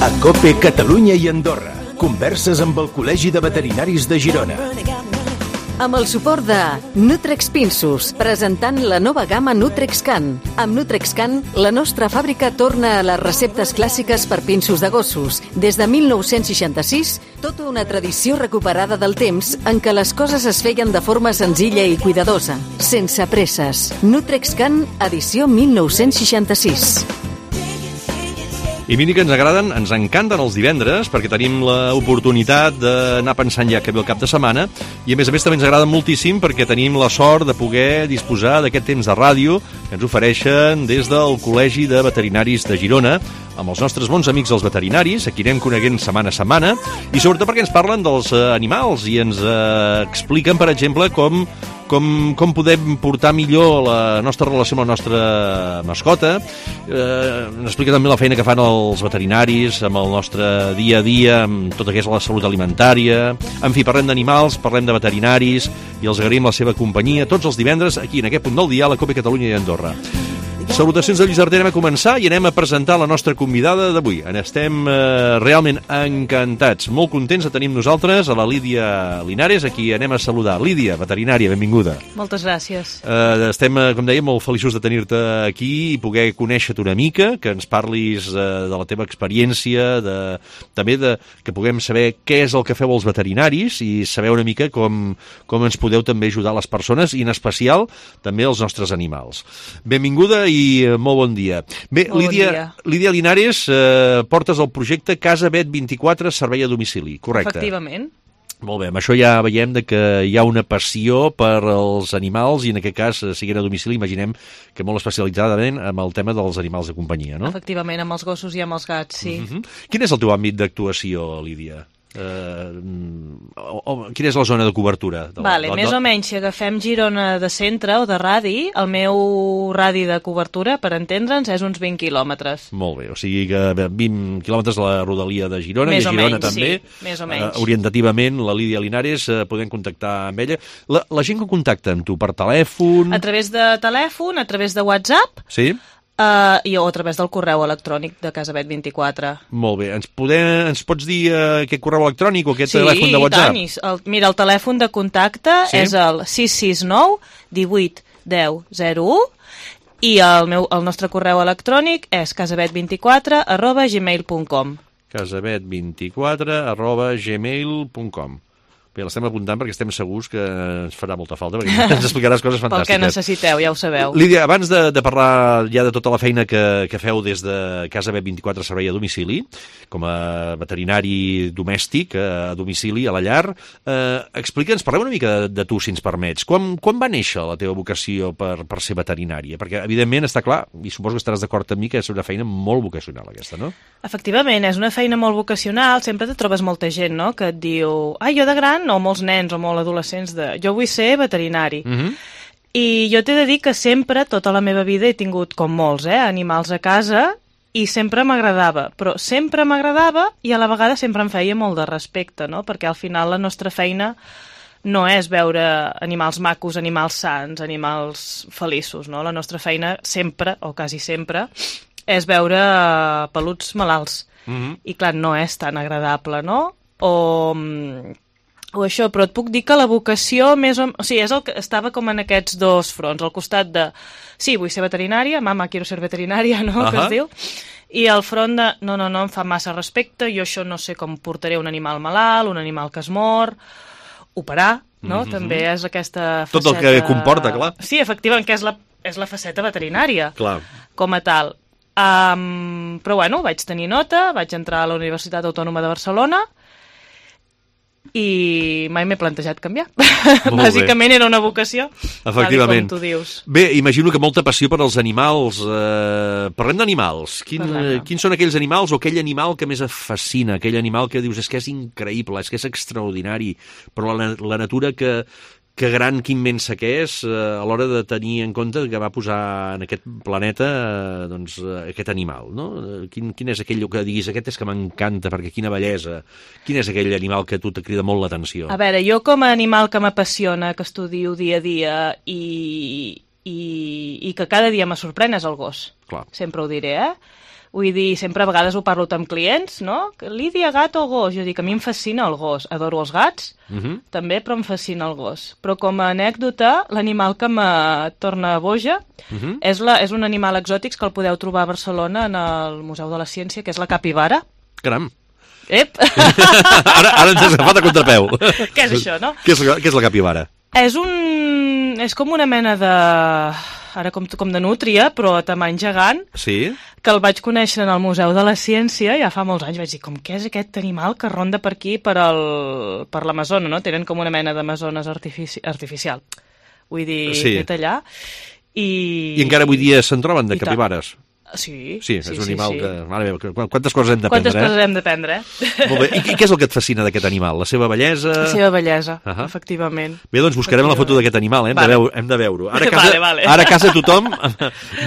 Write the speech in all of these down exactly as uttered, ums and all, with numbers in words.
A COPE Catalunya i Andorra. Converses amb el Col·legi de Veterinaris de Girona. Amb el suport de Nutrex Pinsus, presentant la nova gamma NutrexCan. Amb NutrexCan, la nostra fàbrica torna a les receptes clàssiques per pinsos de gossos. Des de mil nou-cents seixanta-sis, tota una tradició recuperada del temps en què les coses es feien de forma senzilla i cuidadosa, sense presses. NutrexCan, edició mil nou-cents seixanta-sis. I miri que ens agraden, ens encanten els divendres perquè tenim l'oportunitat d'anar pensant ja que ve el cap de setmana i a més a més també ens agraden moltíssim perquè tenim la sort de poder disposar d'aquest temps de ràdio que ens ofereixen des del Col·legi de Veterinaris de Girona amb els nostres bons amics els veterinaris, a qui anem coneguent setmana a setmana i sobretot perquè ens parlen dels animals i ens eh, expliquen, per exemple, com Com, com podem portar millor la nostra relació amb la nostra mascota. Eh, ens explica també la feina que fan els veterinaris amb el nostre dia a dia, amb tot el que és la salut alimentària. En fi, parlem d'animals, parlem de veterinaris i els agraïm la seva companyia tots els divendres aquí en aquest punt del dia a la COPE Catalunya i Andorra. Salutacions de Lluís Arter, anem a començar i anem a presentar la nostra convidada d'avui. Estem eh, realment encantats, molt contents de tenir amb nosaltres a la Lídia Linares, a qui anem a saludar. Lídia, veterinària, benvinguda. Moltes gràcies. Eh, estem, com dèiem, molt feliços de tenir-te aquí i poder conèixer-te una mica, que ens parlis eh, de la teva experiència, de, també de, que puguem saber què és el que feu els veterinaris i saber una mica com, com ens podeu també ajudar les persones i en especial també els nostres animals. Benvinguda i i molt bon dia. Bé, molt Lídia, bon dia. Lídia Linares, eh, portes el projecte Casa Vet vint-i-quatre, servei a domicili, correcte? Efectivament. Molt bé, amb això ja veiem de que hi ha una passió per als animals i en aquest cas, siguin a domicili, imaginem que molt especialitzadament amb el tema dels animals de companyia, no? Efectivament, amb els gossos i amb els gats, sí. Uh-huh. Quin és el teu àmbit d'actuació, Lídia? Uh, o, o, quina és la zona de cobertura? De la, vale, de la, més o menys, si agafem Girona de centre o de radi, el meu radi de cobertura, per entendre'ns, és uns vint quilòmetres. Molt bé, o sigui que vint quilòmetres a la rodalia de Girona, més i a Girona menys, també. Sí, més o menys. Uh, orientativament, la Lídia Linares, uh, podem contactar amb ella. La, la gent que contacta amb tu per telèfon... A través de telèfon, a través de WhatsApp... Sí? Uh, i o a través del correu electrònic de Casa Vet vint-i-quatre. Molt bé. Ens, podem, ens pots dir uh, aquest correu electrònic o aquest sí, telèfon de WhatsApp? Sí, el, mira, el telèfon de contacte sí? és el sis sis nou divuit deu zero u i el, meu, el nostre correu electrònic és casavet vint-i-quatre arroba gmail punt com. casavet vint-i-quatre arroba gmail punt com. Bé, l'estem apuntant perquè estem segurs que ens farà molta falta, perquè ens explicaràs coses fantàstiques. Pel que necessiteu, ja ho sabeu. Lídia, abans de, de parlar ja de tota la feina que, que feu des de Casa Vet vint-i-quatre servei a domicili, com a veterinari domèstic, a domicili, a la llar, eh, explica'ns, parlem una mica de, de tu, si ens permets. Quan, quan va néixer la teva vocació per, per ser veterinària? Perquè, evidentment, està clar, i suposo que estaràs d'acord amb mi, que és una feina molt vocacional, aquesta, no? Efectivament, és una feina molt vocacional. Sempre te trobes molta gent, no?, que et diu, ah, jo de gran, o molts nens o molts adolescents de jo vull ser veterinari. Uh-huh. I jo t'he de dir que sempre, tota la meva vida, he tingut, com molts, eh, animals a casa i sempre m'agradava, però sempre m'agradava i a la vegada sempre em feia molt de respecte, no? Perquè al final la nostra feina no és veure animals macos, animals sants, animals feliços, no? La nostra feina sempre, o quasi sempre, és veure peluts malalts. Uh-huh. I clar, no és tan agradable, no? O... o això, però et puc dir que la vocació més o... o sigui, és el que estava com en aquests dos fronts, al costat de sí, vull ser veterinària, mama, quiero ser veterinària, no?, uh-huh. que es diu, i al front de no, no, no, em fa massa respecte, jo això no sé com portaré un animal malalt, un animal que es mor, operar, no?, mm-hmm. també és aquesta faceta... Tot el que comporta, clar. Sí, efectivament, que és la, és la faceta veterinària, clar. Com a tal. Um, però bueno, vaig tenir nota, vaig entrar a la Universitat Autònoma de Barcelona, i mai m'he plantejat canviar. Bàsicament era una vocació, efectivament, com tu dius. Bé, imagino que molta passió per als animals. Eh, parlem d'animals. Quin, quins són aquells animals o aquell animal que més et fascina? Aquell animal que dius, és que és increïble, és que és extraordinari, però la, la natura que... que gran, que immensa que és, eh, a l'hora de tenir en compte que va posar en aquest planeta eh, doncs, eh, aquest animal, no? Quin, quin és aquell que diguis, aquest és que m'encanta, perquè quina bellesa. Quin és aquell animal que a tu te crida molt l'atenció? A veure, jo com a animal que m'apassiona, que estudio dia a dia i, i, i que cada dia me sorprèn és el gos. Clar. Sempre ho diré, eh? Vull dir, sempre a vegades ho parlo amb clients, no? Lídia, gat o gos? Jo dic, a mi em fascina el gos. Adoro els gats, uh-huh. també, però em fascina el gos. Però com a anècdota, l'animal que me torna boja uh-huh. és, la, és un animal exòtic que el podeu trobar a Barcelona en el Museu de la Ciència, que és la capibara. Caram. Ep! ara, ara ens has agafat a contrapeu. Què és això, no? Què és, què és la capibara? És un... és com una mena de... ara com, com de nútria, però a tamany gegant, sí? que el vaig conèixer en el Museu de la Ciència ja fa molts anys. Vaig dir, com què és aquest animal que ronda per aquí, per, el, per l'Amazona, no? Tenen com una mena d'Amazones artifici, artificial. Vull dir, sí. fet allà. I, I encara avui dia se'n troben de capibares? Sí, sí, és sí, un animal sí, sí. que... Mare meva, quantes coses hem d'aprendre, Quantes coses hem d'aprendre, eh? Molt bé. I què és el que et fascina d'aquest animal? La seva bellesa? La seva bellesa, uh -huh. efectivament. Bé, doncs buscarem la foto d'aquest animal, eh? hem, vale. de veure, hem de veure-ho. Ara, casa, vale, vale. ara a casa tothom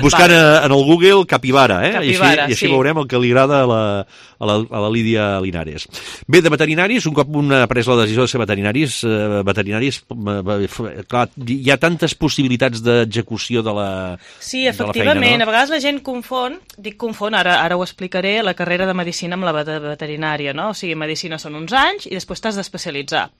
buscant vale. en el Google capibara, eh? Capibara, I així, i així sí. veurem el que li agrada a la, a la, a la Lídia Linares. Bé, de veterinaris, un cop un ha pres la decisió de ser veterinaris, eh, veterinaris, eh, clar, hi ha tantes possibilitats d'execució de la Sí, de efectivament, la feina, no? A vegades la gent confon, dic confon, ara, ara ho explicaré, la carrera de medicina amb la veterinària, no? O sigui, medicina són uns anys i després t'has d'especialitzar.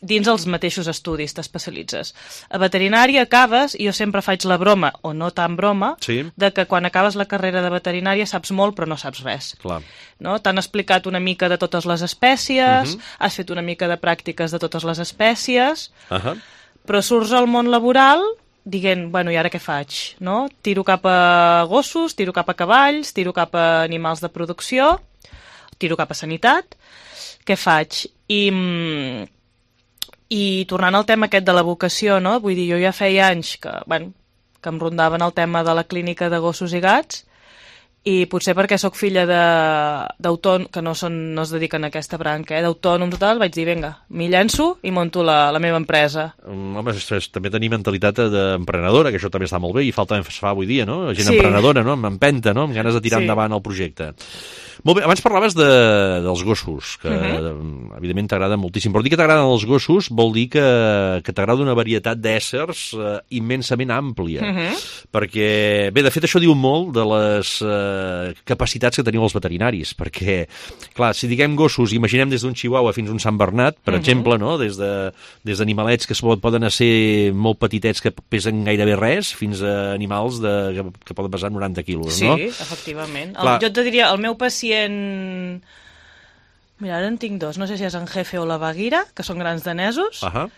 Dins els mateixos estudis t'especialitzes. A veterinària acabes, i jo sempre faig la broma, o no tan broma, sí. de que quan acabes la carrera de veterinària saps molt però no saps res. Clar. No? T'han explicat una mica de totes les espècies, uh -huh. has fet una mica de pràctiques de totes les espècies, uh -huh. però surts al món laboral dient, bueno, i ara què faig? No? Tiro cap a gossos, tiro cap a cavalls, tiro cap a animals de producció, tiro cap a sanitat, què faig? I... I tornant al tema aquest de la vocació, no? Vull dir, jo ja feia anys que, bueno, que em rondaven el tema de la clínica de gossos i gats, i potser perquè sóc filla d'autònoms, que no, són, no es dediquen a aquesta branca, eh? D'autònoms i tal, vaig dir, vinga, m'hi llenço i monto la, la meva empresa. Um, home, és, és, també tenir mentalitat d'emprenedora, que això també està molt bé, i falta fa avui dia, no? Gent sí. emprenedora, no? Amb empenta, no? Amb ganes de tirar sí. endavant el projecte. Molt bé, abans parlaves de, dels gossos, que uh-huh. evidentment t'agrada moltíssim, però dir que t'agraden els gossos vol dir que, que t'agrada una varietat d'éssers eh, immensament àmplia, uh-huh. perquè, bé, de fet això diu molt de les eh, capacitats que teniu els veterinaris, perquè, clar, si diguem gossos, imaginem des d'un chihuahua fins a un Sant Bernat, per uh-huh. exemple, no? Des de, des d'animalets que poden ser molt petitets que pesen gairebé res, fins a animals de, que, que poden pesar noranta quilos, sí, no? Sí, efectivament. El, jo et diria, el meu pacient... Mira, ara en tinc dos, no sé si és en Jefe o la Baguira, que són grans danesos, uh-huh.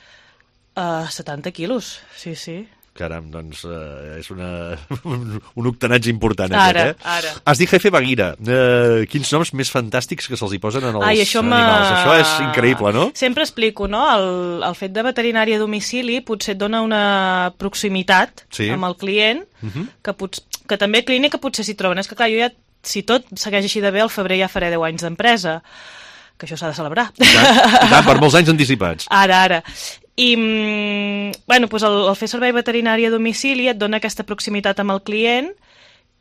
uh, setanta quilos, sí, sí. Caram, doncs uh, és una, un, un octanatge important ara, aquest, eh? Ara, Has dit Jefe Baguira. Uh, quins noms més fantàstics que se'ls hi posen en els Ai, això animals. Això és increïble, no? Sempre explico, no? El, el fet de veterinària a domicili potser et dona una proximitat sí. amb el client, uh-huh. que, pots, que també clínica potser s'hi troben. És que, clar, jo ja, si tot segueix així de bé, al febrer ja faré deu anys d'empresa, que això s'ha de celebrar. I tant, i tant, per molts anys anticipats. Ara, ara. I, bueno, doncs el, el fer servei veterinari a domicili et dona aquesta proximitat amb el client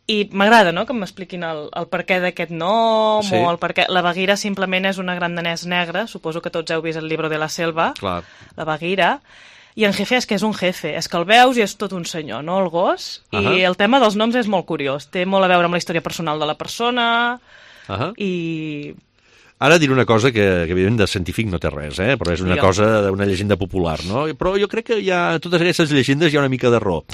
i m'agrada, no?, que m'expliquin el, el perquè d'aquest nom, sí. o el perquè... La Baguira simplement és una gran danès negra, suposo que tots heu vist el Libro de la Selva, clar. La Baguira, i en Jefe és que és un jefe, és que el veus i és tot un senyor, no?, el gos, uh -huh. i el tema dels noms és molt curiós, té molt a veure amb la història personal de la persona, uh -huh. i... Ara diré una cosa que, que evidentment de científic no té res, eh? Però és una Digue'm. cosa, una llegenda popular, no? Però jo crec que hi ha, totes aquestes llegendes hi ha una mica d'error.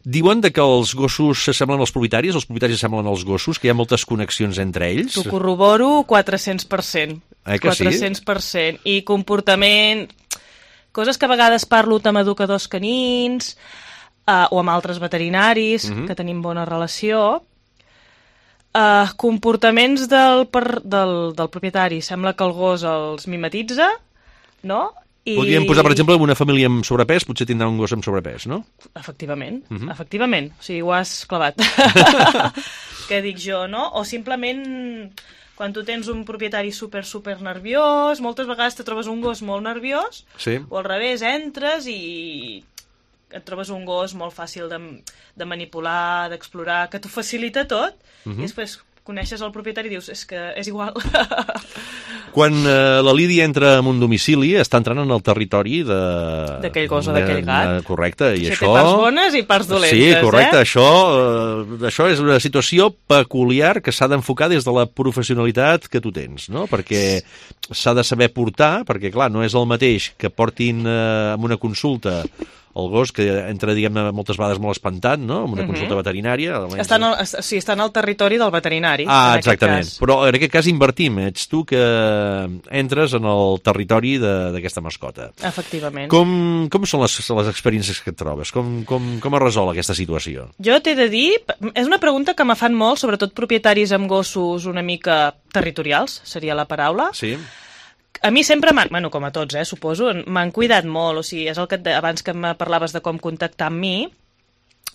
Diuen de que els gossos s'assemblen als propietaris, els propietaris s'assemblen als gossos, que hi ha moltes connexions entre ells. T'ho corroboro quatre-cents per cent. Eh que quatre-cents per cent. I comportament... Coses que a vegades parlo amb educadors canins uh, o amb altres veterinaris, uh-huh. que tenim bona relació... Uh, comportaments del, per, del, del propietari. Sembla que el gos els mimetitza, no? I... Podríem posar, per exemple, una família amb sobrepès, potser tindrà un gos amb sobrepès, no? Efectivament, uh-huh. efectivament. O sigui, ho has clavat. Què dic jo, no? O simplement, quan tu tens un propietari super, super nerviós, moltes vegades te trobes un gos molt nerviós, sí. o al revés, entres i... et trobes un gos molt fàcil de, de manipular, d'explorar, que t'ho facilita tot, uh-huh. i després, coneixes el propietari i dius, és que és igual. Quan eh, la Lídia entra en un domicili, està entrant en el territori de... d'aquell gos o d'aquell gat. Correcte, i això... això... té parts bones i parts dolentes, sí, correcte, eh? això, eh, això és una situació peculiar que s'ha d'enfocar des de la professionalitat que tu tens, no? Perquè s'ha de saber portar, perquè, clar, no és el mateix que portin eh, en una consulta el gos, que entra, diguem-ne, moltes vegades molt espantat, no?, en una consulta veterinària. Està en el, sí, està en el territori del veterinari. Ah, exactament. Però en aquest cas invertim. Ets tu que entres en el territori d'aquesta mascota. Efectivament. Com, com són les, les experiències que et trobes? Com, com, com es resol aquesta situació? Jo t'he de dir... És una pregunta que me fan molt, sobretot propietaris amb gossos una mica territorials, seria la paraula. Sí. A mi sempre m'han, bueno, com a tots, eh, suposo, m'han cuidat molt, o sigui, és el que et, abans que me parlaves de com contactar amb mi,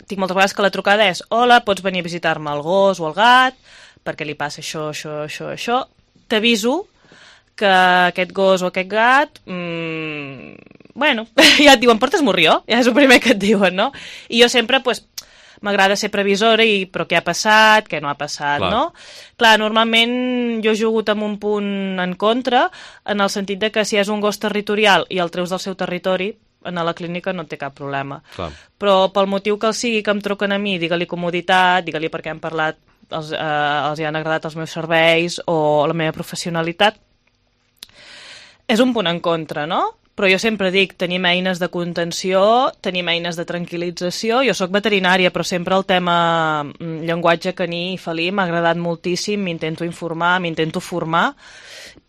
tinc moltes vegades que la trucada és hola, pots venir a visitar-me el gos o el gat, perquè li passa això, això, això, això, t'aviso que aquest gos o aquest gat, mmm, bueno, ja et diuen, portes morrió, ja és el primer que et diuen, no? I jo sempre, doncs, m'agrada ser previsora i però què ha passat, què no ha passat, Clar. no? Clar, normalment jo he jugat amb un punt en contra, en el sentit de que si és un gos territorial i el treus del seu territori, a la clínica no té cap problema. Clar. Però pel motiu que el sigui que em truquen a mi, digue-li comoditat, digue-li perquè hem parlat, els, eh, els hi han agradat els meus serveis o la meva professionalitat, és un punt en contra, no? Però jo sempre dic, tenim eines de contenció, tenim eines de tranquil·lització. Jo sóc veterinària, però sempre el tema llenguatge caní i felí m'ha agradat moltíssim, m'intento informar, m'intento formar,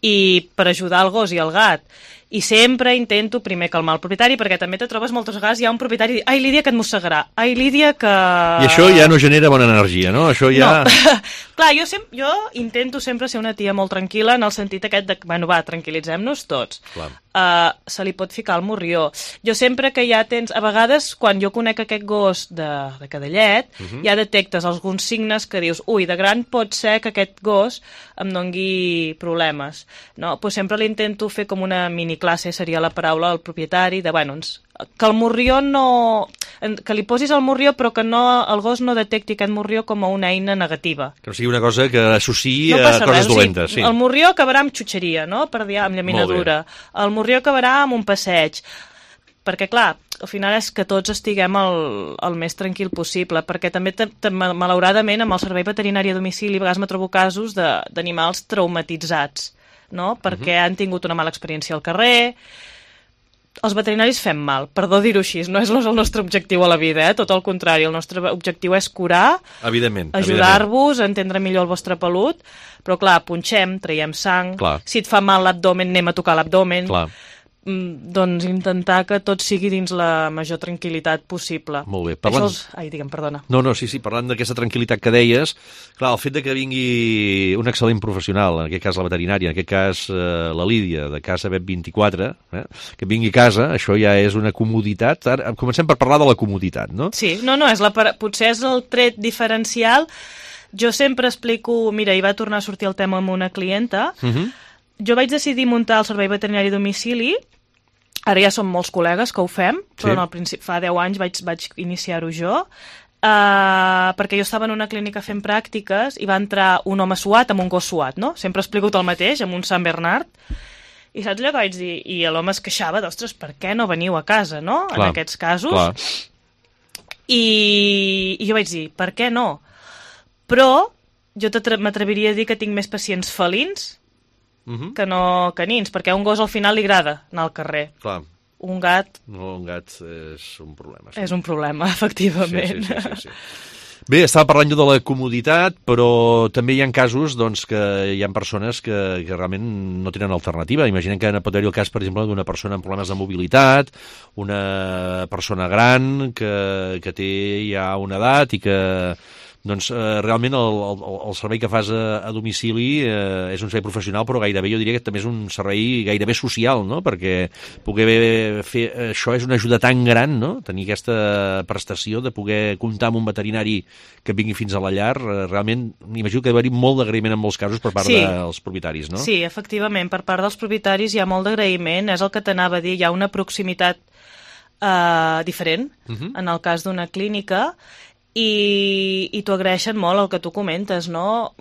i per ajudar el gos i el gat. I sempre intento primer calmar el propietari, perquè també te trobes moltes vegades, hi ha un propietari i ai, Lídia, que et mossegarà, ai, Lídia, que... I això ja no genera bona energia, no? Això ja... No. Clar, jo, sem jo intento sempre ser una tia molt tranquil·la en el sentit aquest de, bueno, va, tranquil·litzem-nos tots. Clar. Uh, se li pot ficar el morrió. Jo sempre que ja tens... A vegades, quan jo conec aquest gos de, de cadellet, uh -huh. ja detectes alguns signes que dius, ui, de gran pot ser que aquest gos em dongui problemes. No? Pues sempre l'intento fer com una mini classe, seria la paraula, al propietari, de, bueno, ens, que el morrió no... que li posis el morrió, però que no, el gos no detecti aquest morrió com a una eina negativa. Que no sigui una cosa que associï no a coses res, dolentes. O sigui, sí. El morrió acabarà amb xutxeria, no?, per dir, amb llaminadura. El morrió acabarà amb un passeig. Perquè, clar, al final és que tots estiguem el, el més tranquil possible, perquè també, malauradament, amb el servei veterinari a domicili, a vegades me trobo casos d'animals traumatitzats, no?, perquè uh-huh. han tingut una mala experiència al carrer. Els veterinaris fem mal, perdó dir-ho així, no és el nostre objectiu a la vida, eh? Tot el contrari, el nostre objectiu és curar, ajudar-vos a entendre millor el vostre pelut, però clar, punxem, traiem sang, clar. Si et fa mal l'abdomen anem a tocar l'abdomen, clar. Doncs intentar que tot sigui dins la major tranquil·litat possible. Molt bé. Parlant... Els... Ai, digue'm, perdona. No, no, sí, sí, parlant d'aquesta tranquil·litat que deies, clar, el fet de que vingui un excel·lent professional, en aquest cas la veterinària, en aquest cas eh, la Lídia, de Casa Bet vint-i-quatre, eh, que vingui a casa, això ja és una comoditat. Ara comencem per parlar de la comoditat, no? Sí, no, no, és la, potser és el tret diferencial. Jo sempre explico, mira, hi va tornar a sortir el tema amb una clienta, uh -huh. Jo vaig decidir muntar el servei veterinari a domicili, ara ja som molts col·legues que ho fem, però sí. al principi, fa deu anys vaig, vaig iniciar-ho jo, uh, perquè jo estava en una clínica fent pràctiques i va entrar un home suat amb un gos suat, no? Sempre he explicat el mateix, amb un Sant Bernard, i saps allò que vaig dir? I l'home es queixava d'ostres, per què no veniu a casa, no? Clar, en aquests casos. Clar. I, I jo vaig dir, per què no? Però jo m'atreviria a dir que tinc més pacients felins Uh-huh. que no canins, perquè a un gos al final li agrada anar al carrer. Clar. Un gat... No, un gat és un problema. Sí. És un problema, efectivament. Sí, sí, sí, sí, sí. Bé, estava parlant jo de la comoditat, però també hi ha casos doncs, que hi ha persones que, que realment no tenen alternativa. Imaginem que pot haver-hi el cas, per exemple, d'una persona amb problemes de mobilitat, una persona gran que, que té ja una edat i que... doncs eh, realment el, el, el servei que fas a, a domicili eh, és un servei professional, però gairebé jo diria que també és un servei gairebé social, no? Perquè poder fer això és una ajuda tan gran, no? Tenir aquesta prestació de poder comptar amb un veterinari que vingui fins a la llar, eh, realment m'imagino que ha d'haver-hi molt d'agraïment en molts casos per part sí. dels propietaris, no? Sí, efectivament, per part dels propietaris hi ha molt d'agraïment, és el que t'anava a dir, hi ha una proximitat eh, diferent, uh-huh. en el cas d'una clínica. i, i t'ho agraeixen molt el que tu comentes, no?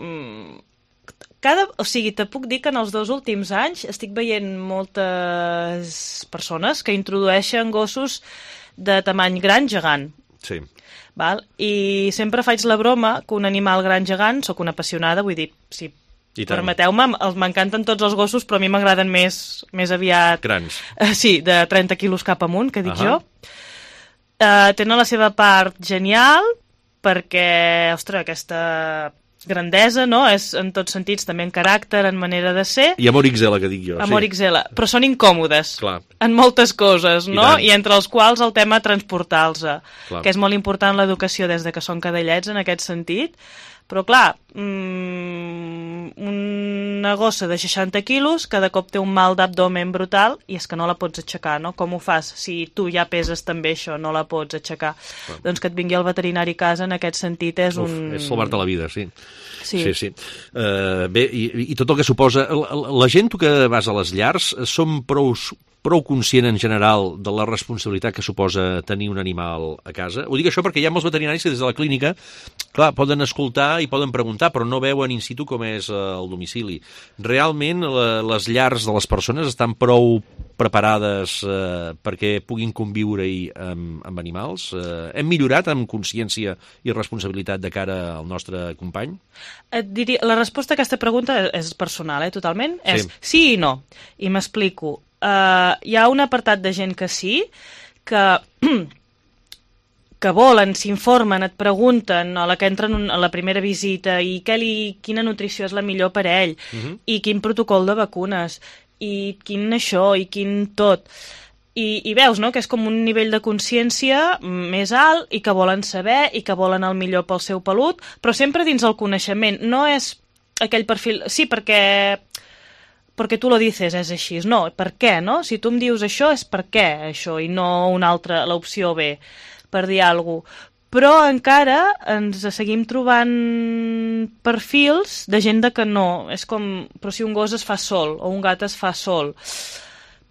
Cada, o sigui, te puc dir que en els dos últims anys estic veient moltes persones que introdueixen gossos de tamany gran gegant. Sí. Val? I sempre faig la broma que un animal gran gegant, sóc una apassionada, vull dir, si permeteu-me, m'encanten tots els gossos, però a mi m'agraden més, més aviat... Grans. Uh, sí, de trenta quilos cap amunt, que dic uh -huh. jo. Uh, tenen la seva part genial, perquè, ostres, aquesta grandesa, no?, és en tots sentits, també en caràcter, en manera de ser. I amor X L, que dic jo. Amor sí. X L, però són incòmodes. Clar. En moltes coses, no? I, I entre els quals el tema transportar-los, clar. que és molt important l'educació des de que són cadellets en aquest sentit. Però, clar, mmm, una gossa de seixanta quilos cada cop té un mal d'abdomen brutal i és que no la pots aixecar, no? Com ho fas? Si tu ja peses també això, no la pots aixecar. Clar. Doncs que et vingui el veterinari a casa en aquest sentit és Uf, un... és salvar-te la vida, sí. Sí, sí. sí. Uh, bé, i, i tot el que suposa... La, la gent, tu que vas a les llars, som prou... prou conscient en general de la responsabilitat que suposa tenir un animal a casa? Ho dic això perquè hi ha molts veterinaris que des de la clínica, clar, poden escoltar i poden preguntar, però no veuen in situ com és el domicili. Realment la, les llars de les persones estan prou preparades eh, perquè puguin conviure-hi amb, amb animals? Eh, hem millorat amb consciència i responsabilitat de cara al nostre company? Et diria, la resposta a aquesta pregunta és personal, eh, totalment. Sí. És sí i no. I m'explico. Uh, hi ha un apartat de gent que sí, que, que volen, s'informen, et pregunten a la que entren a la primera visita i què li, quina nutrició és la millor per a ell, uh-huh. i quin protocol de vacunes, i quin això, i quin tot. I, i veus, no?, que és com un nivell de consciència més alt i que volen saber i que volen el millor pel seu pelut, però sempre dins el coneixement. No és aquell perfil... Sí, perquè... perquè tu lo dices, és així. No, per què, no? Si tu em dius això, és per què això, i no una altra, l'opció B, per dir alguna cosa. Però encara ens seguim trobant perfils de gent de que no. És com, però si un gos es fa sol, o un gat es fa sol.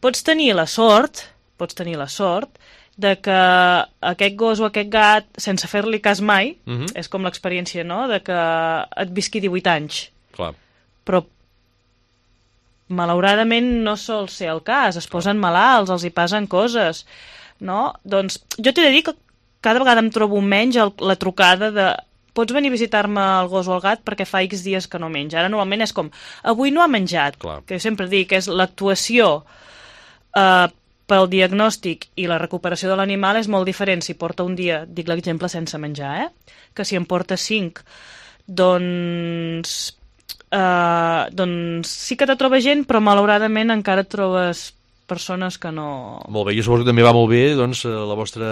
Pots tenir la sort, pots tenir la sort, de que aquest gos o aquest gat, sense fer-li cas mai, uh-huh. és com l'experiència, no?, de que et visqui divuit anys. Clar. Però malauradament no sol ser el cas, es posen malalts, els hi passen coses, no? Doncs jo t'he de dir que cada vegada em trobo menys el, la trucada de pots venir a visitar-me el gos o el gat perquè fa X dies que no menja. Ara normalment és com, avui no ha menjat, clar. Que jo sempre dic que és l'actuació eh, pel diagnòstic i la recuperació de l'animal és molt diferent si porta un dia, dic l'exemple sense menjar, eh? Que si en porta cinc, doncs... Uh, doncs sí que te troba gent, però malauradament encara et trobes persones que no... Molt bé, jo suposo que també va molt bé doncs, la vostra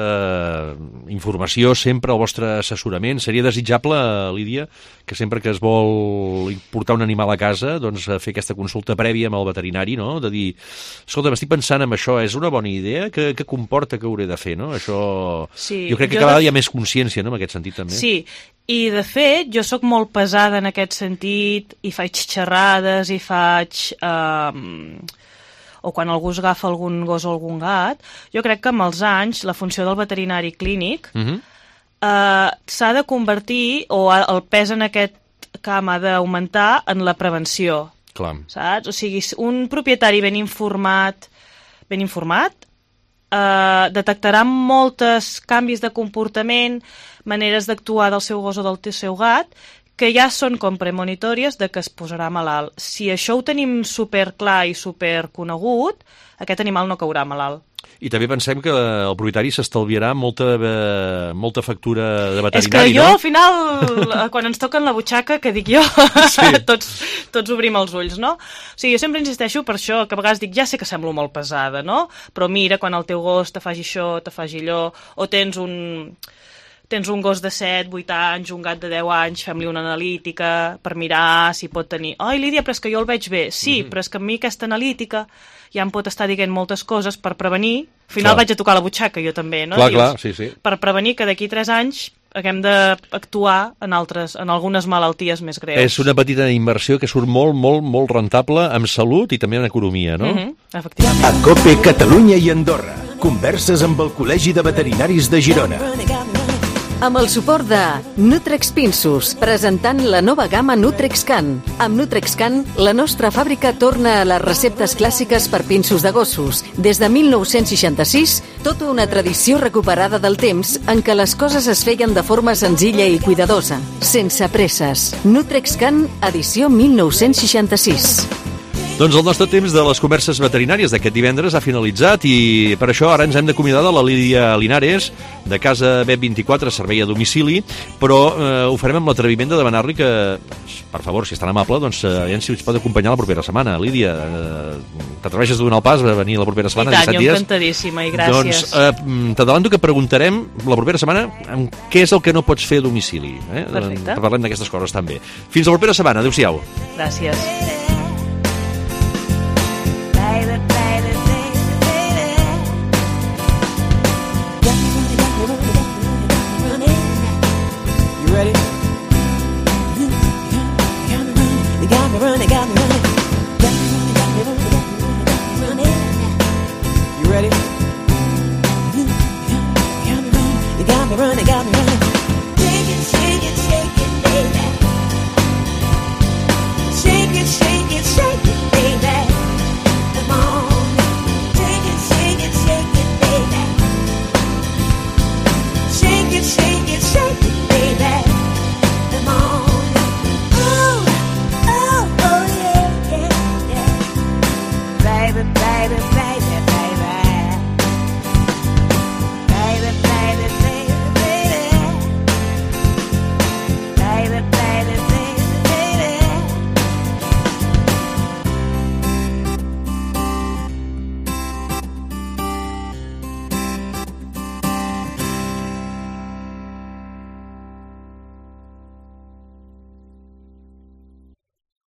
informació, sempre el vostre assessorament. Seria desitjable, Lídia, que sempre que es vol portar un animal a casa, doncs fer aquesta consulta prèvia amb el veterinari, no?, de dir, escolta, m'estic pensant en això, és una bona idea? Què, què comporta que hauré de fer, no? Això... Sí, jo crec que jo cada vegada de... hi ha més consciència, no?, en aquest sentit també. Sí, i de fet jo sóc molt pesada en aquest sentit i faig xerrades i faig... Eh, o quan algú es agafa algun gos o algun gat, jo crec que amb els anys la funció del veterinari clínic uh-huh. eh, s'ha de convertir, o el pes en aquest camp ha d'augmentar en la prevenció. Clar. Saps? O sigui, un propietari ben informat, ben informat, eh, detectarà moltes canvis de comportament, maneres d'actuar del seu gos o del seu gat, que ja són com premonitòries de que es posarà malalt. Si això ho tenim superclar i superconegut, aquest animal no caurà malalt. I també pensem que el propietari s'estalviarà molta, eh, molta factura de veterinari, és que jo, no? al final, quan ens toquen la butxaca, que dic jo, sí. tots, tots obrim els ulls, no? O sigui, jo sempre insisteixo per això, que a vegades dic, ja sé que semblo molt pesada, no? Però mira, quan el teu gos te faci això, te faci allò, o tens un... tens un gos de set, vuit anys, un gat de deu anys, fem-li una analítica per mirar si pot tenir... Ai, Lídia, però és que jo el veig bé. Sí, mm-hmm. però és que a mi aquesta analítica ja em pot estar dient moltes coses per prevenir. Al final clar. Vaig a tocar la butxaca, jo també, no? Clar, Dius, clar, sí, sí. Per prevenir que d'aquí tres anys haguem d'actuar en altres, en algunes malalties més greus. És una petita inversió que surt molt, molt, molt rentable en salut i també en economia, no? Mm-hmm, efectivament. A COPE Catalunya i Andorra. Converses amb el Col·legi de Veterinaris de Girona. Amb el suport de Nutrex Pinsos, presentant la nova gamma NutrexCan. Amb NutrexCan, la nostra fàbrica torna a les receptes clàssiques per pinsos de gossos. Des de mil nou-cents seixanta-sis, tota una tradició recuperada del temps en què les coses es feien de forma senzilla i cuidadosa, sense presses. NutrexCan, edició mil nou-cents seixanta-sis. Doncs el nostre temps de les converses veterinàries d'aquest divendres ha finalitzat i per això ara ens hem d'acomiadar de la Lídia Linares, de Casa B vint-i-quatre, servei a domicili, però eh, ho farem amb l'atreviment de demanar-li que, per favor, si és tan amable, doncs eh, aviam si ens pot acompanyar la propera setmana. Lídia, eh, t'atreveixes a donar el pas a venir la propera setmana? I tant, jo dies? encantadíssima, i gràcies. Doncs eh, t'adelanto que preguntarem la propera setmana amb què és el que no pots fer a domicili. Eh? Perfecte. Parlem d'aquestes coses també. Fins la propera setmana. Adéu-siau. Gràcies.